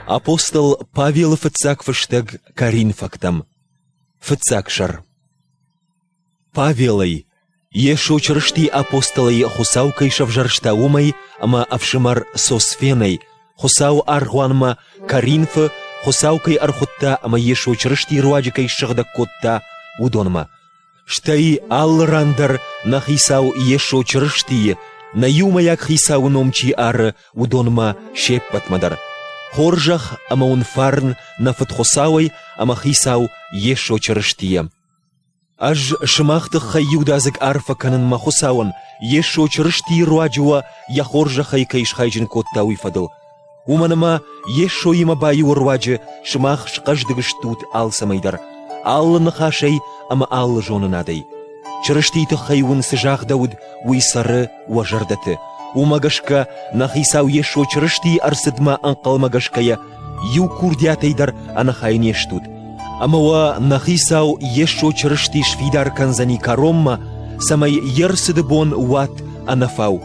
Апостол Павелы фыццаг фыстӕг Коринфӕгтӕм. Фыццаг сӕр. Павелӕй, Йесо Чырыстийы апостолӕй Хуыцау кӕй сӕвзӕрста, уымӕй ӕмӕ ӕфсымӕр Сосфенӕй, Хуыцауы аргъуанмӕ Коринфы Хуыцау кӕй ӕрхуыдта ӕмӕ Йесо Чырыстийы руаджы кӕй ссыгъдӕг кодта, уыдонмӕ. Стӕй алы ран дӕр нӕ Хицау Йесо Чырыстийы, нӕ иумӕйаг Хицауы ном чи ары, уыдонмӕ се ппӕтмӕ дӕр. Хорзӕх ӕмӕ уын фарн нӕ Фыд Хуыцауӕй ӕмӕ Хицау Йесо Чырыстийӕ. Ӕз сымах тыххӕй иудадзыг арфӕ кӕнын мӕ Хуыцауӕн, Йесо Чырыстийы руаджы уӕ йӕ хорзӕхӕй кӕй схайджын кодта, уый фӕдыл. Уымӕн ӕмӕ Йесоимӕ баиуы руаджы сымах схъӕздыг стут алцӕмӕй дӕр, алы ныхасӕй ӕмӕ алы зонынадӕй. Чырыстийы тыххӕй уын цы загъдӕуыд, уый цӕры уӕ зӕрдӕты. Уымӕ гӕсгӕ нӕ Хицау Йесо Чырыстийы ӕрцыдмӕ ӕнхъӕлмӕгӕсгӕйӕ иу курдиатӕй дӕр ӕнӕхай не стут. Ӕмӕ уӕ нӕ Хицау Йесо Чырысти сфидар кӕндзӕни кӕронмӕ, цӕмӕй йе рцыды бон уат ӕнӕфау.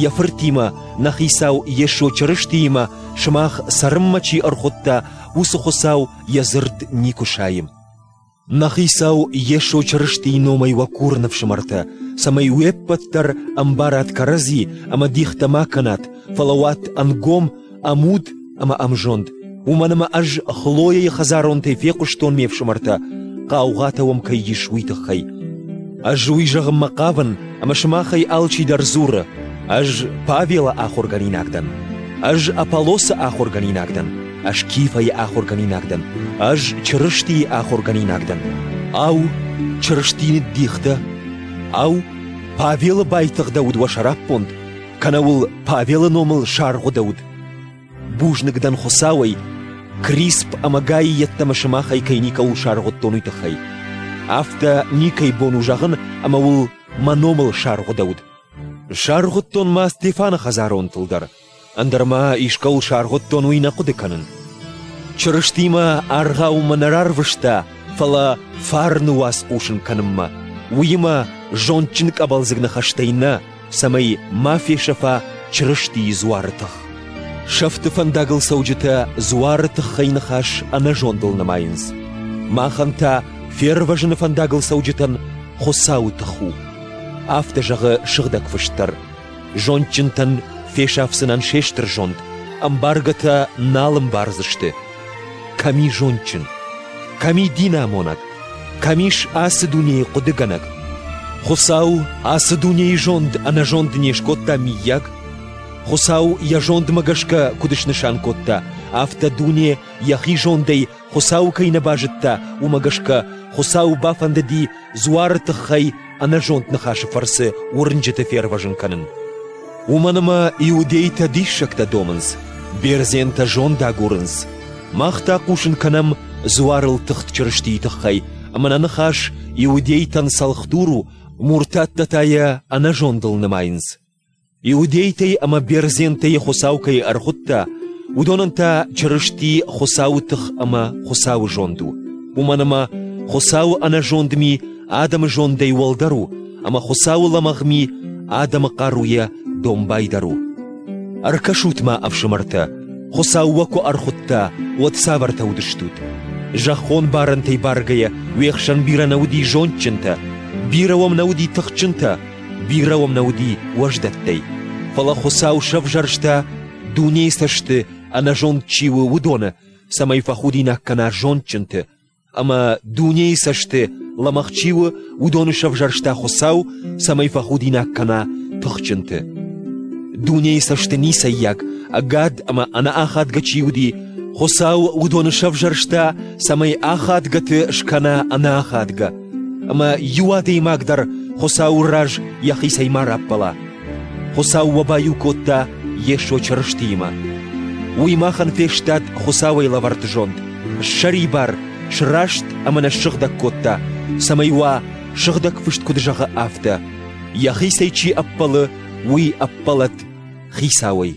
Йӕ Фыртимӕ, нӕ Хицау Йесо Чырыстиимӕ сымах цӕрынмӕ чи ӕрхуыдта, уыцы Хуыцау йӕ дзырд никуы сайы. Нӕ Хицау Йесо Чырыстийы номӕй уӕ курын, ӕфсымӕртӕ, цӕмӕй уе ппӕт дӕр ӕмбарат кӕрӕдзи ӕмӕ дихтӕ ма кӕнат, фӕлӕ уат ӕнгом, ӕмуд ӕмӕ ӕмзонд. Уымӕн ӕмӕ ӕз Хлояйы хӕдзаронтӕй фехъуыстон ме фсымӕртӕ, хъаугъатӕ уӕм кӕй ис, уый тыххӕй. Ӕз уый зӕгъынмӕ хъавын, ӕмӕ сымахӕй алчидӕр дзуры, ӕз Павелы ахуыргӕнинаг дӕн, ӕз Аполлосы ахуыргӕнинаг дӕн, ӕз Кифӕйы ахуыргӕнинаг дӕн, ӕз Чырыстийы ахуыргӕнинаг дӕн. Ау, Чырысти ныддихтӕ? Ау, Павелы байтыгъдӕуыд уӕ сӕраппонд, кӕнӕ уыл Павелы номыл саргъуыдӕуыд? Бузныг дӕн Хуыцауӕй, Крисп ӕмӕ Гайы йеддӕмӕ сымахӕй кӕй никӕуыл саргъуыдтон, уый тыххӕй. Афтӕ никӕй бон у зӕгъын, ӕмӕ уыл мӕ номыл саргъуыдӕуыд. Саргъуыдтон ма Стефаны хӕдзаронтыл дӕр, ӕндӕр ма искӕуыл саргъуыдтон, уый нӕ хъуыды кӕнын. Чырыстимӕ аргъаумӕ нӕ рарвыста, фӕлӕ фарны уац хъусын кӕнынмӕ, уыимӕ зондджын къӕбӕлдзыг ныхӕстӕй нӕ, цӕмӕй ма фесӕфа Чырыстийы дзуары тых. Сӕфты фӕндагыл цӕуджытӕ дзуары тыххӕй ныхас ӕнӕзондыл нымайынц. Махӕн та фервӕзыны фӕндагыл цӕуджытӕн Хуыцауы тых у. Афтӕ зӕгъы Сыгъдӕг Фыст дӕр. Зондджынтӕн фесафдзынӕн се стыр зонд, ӕмбаргӕтӕ нал ӕмбардзысты. Кӕм и зондджын? Кӕм и динамонӕг? Кӕм ис ацы дунейы хъуыдыгӕнӕг? Хуыцау ацы дунейы зонд ӕнӕзонд не скодта миййаг? Хуыцау йӕ зондмӕ гӕсгӕ куыд снысан кодта, афтӕ дуне йӕхи зондӕй Хуыцауы кӕй нӕ базыдта, уымӕ гӕсгӕ Хуыцауы бафӕндыди дзуары тыххӕй ӕнӕзонд ныхасы фӕрцы уырнджыты фервӕзын кӕнын. Уымӕн ӕмӕ иудейтӕ диссӕгтӕ домынц, бердзентӕ зонд агурынц. Мах та хъусын кӕнӕм дзуарыл тыхт Чырыстийы тыххӕй, ӕмӕ нӕ ныхас иудейтӕн цӕлхдур у, муртаттӕ та йӕ ӕнӕзондыл нымайынц. Иудейтӕй ӕмӕ бердзентӕй Хуыцау кӕй ӕрхуыдта, уыдонӕн та Чырысти Хуыцауы тых ӕмӕ Хуыцауы зонд у. Уымӕн ӕмӕ Хуыцауы ӕнӕзонд ми адӕмы зондӕй уӕлдӕр у, ӕмӕ Хуыцауы лӕмӕгъ ми адӕмы хъаруйӕ домбайдӕр у. Ӕркӕсут-ма, ӕфсымӕртӕ, Хуыцау уӕ куы ӕрхуыдта, уӕд цавӕртӕ уыдыстут? Зӕххон барӕнтӕй баргӕйӕ уе хсӕн бирӕ нӕ уыди зондджынтӕ, бирӕ уӕм нӕ уыди тыхджынтӕ, Бирӕ уӕм нӕ уыди уӕздӕттӕй, фӕлӕ Хуыцау сӕвзӕрста, дунейы цӕсты ӕнӕзонд чи у, уыдоны, цӕмӕй фӕхудинаг кӕна зондджынты, ӕмӕ дунейы цӕсты лӕмӕгъ чи у, уыдоны сӕвзӕрста Хуыцау, цӕмӕй фӕхудинаг кӕна тыхджынты. Дунейы цӕсты ницӕййаг, ӕгад ӕмӕ ӕнӕахадгӕ чи уыди, Хуыцау уыдоны сӕвзӕрста, цӕмӕй ахадгӕты скӕна ӕнӕахадгӕ. ӕмӕ иу адӕймаг дӕр Хуыцауы раз йӕхицӕй ма раппӕла. Хуыцау уӕ баиу кодта Йесо Чырыстиимӕ. Уый махӕн фестад Хуыцауӕй лӕвӕрд зонд, ссӕрибар, сраст ӕмӕ нӕ ссыгъдӕг кодта, цӕмӕй уа, сыгъдӕг фыст куыд зӕгъы, афтӕ: йӕхицӕй чи ӕппӕлы, уый ӕппӕлӕд Хицауӕй.